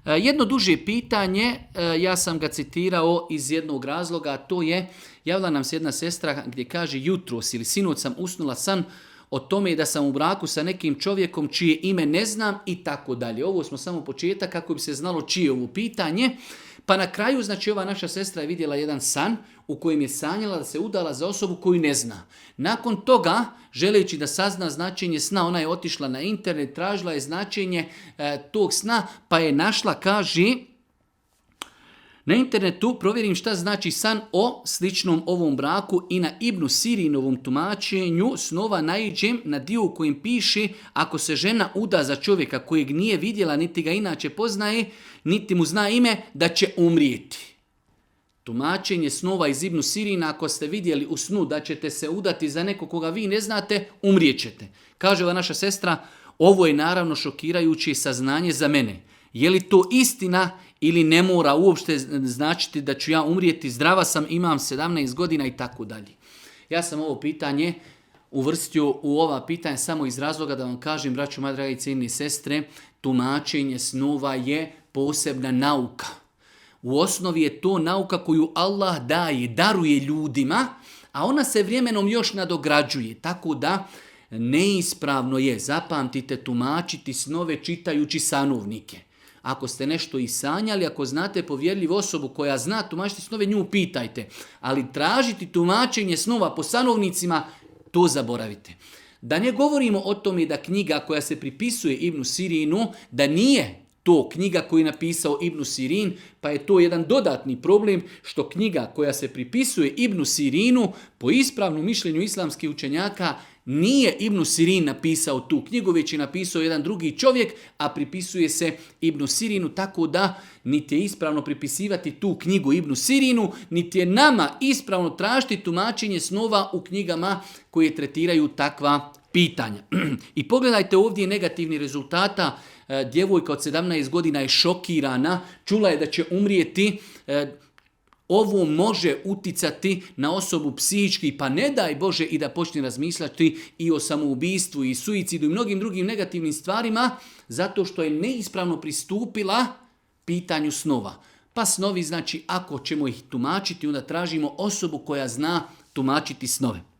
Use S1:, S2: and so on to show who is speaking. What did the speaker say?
S1: Jedno duže pitanje, ja sam ga citirao iz jednog razloga, a to je, javila nam se jedna sestra gdje kaže jutros ili sinoć sam usnula san o tome da sam u braku sa nekim čovjekom čije ime ne znam i tako dalje. Ovo smo samo početak kako bi se znalo čije je ovo pitanje. Pa na kraju, znači ova naša sestra je vidjela jedan san u kojem je sanjala da se udala za osobu koju ne zna. Nakon toga, želeći da sazna značenje sna, ona je otišla na internet, tražila je značenje tog sna, pa je našla, kaže, na internetu provjerim šta znači san o sličnom ovom braku i na Ibnu Sirinovom tumačenju snova naiđem na dio u kojem piše ako se žena uda za čovjeka kojeg nije vidjela, niti ga inače poznaje, niti mu zna ime, da će umrijeti. Tumačenje snova iz Ibnu Sirina, ako ste vidjeli u snu da ćete se udati za nekog koga vi ne znate, umrijećete. Kaže ova naša sestra, ovo je naravno šokirajuće saznanje za mene. Je li to istina ili ne mora uopšte značiti da ću ja umrijeti, zdrava sam, imam 17 godina i tako dalje. Ja sam ovo pitanje uvrstio u ova pitanja samo iz razloga da vam kažem, braćo moje drage i cijenine sestre, tumačenje snova je posebna nauka. U osnovi je to nauka koju Allah daje, daruje ljudima, a ona se vremenom još nadograđuje. Tako da neispravno je, zapamtite, tumačiti snove čitajući sanovnike. Ako ste nešto i sanjali, ako znate povjerljivu osobu koja zna tumačiti snove, nju pitajte. Ali tražiti tumačenje snova po sanovnicima, to zaboravite. Da ne govorimo o tome da knjiga koja se pripisuje Ibnu Sirinu, da nije to knjiga koju je napisao Ibnu Sirin, pa je to jedan dodatni problem što knjiga koja se pripisuje Ibnu Sirinu, po ispravnom mišljenju islamskih učenjaka, nije Ibnu Sirin napisao tu knjigu, već je napisao jedan drugi čovjek, a pripisuje se Ibnu Sirinu, tako da niti je ispravno pripisivati tu knjigu Ibnu Sirinu, niti je nama ispravno tražiti tumačenje snova u knjigama koje tretiraju takva pitanja. I pogledajte ovdje negativni rezultata. Djevojka od 17 godina je šokirana, čula je da će umrijeti. Ovo može uticati na osobu psihički, pa ne daj Bože i da počne razmišljati i o samoubistvu i suicidu i mnogim drugim negativnim stvarima, zato što je neispravno pristupila pitanju snova. Pa snovi, znači, ako ćemo ih tumačiti, onda tražimo osobu koja zna tumačiti snove.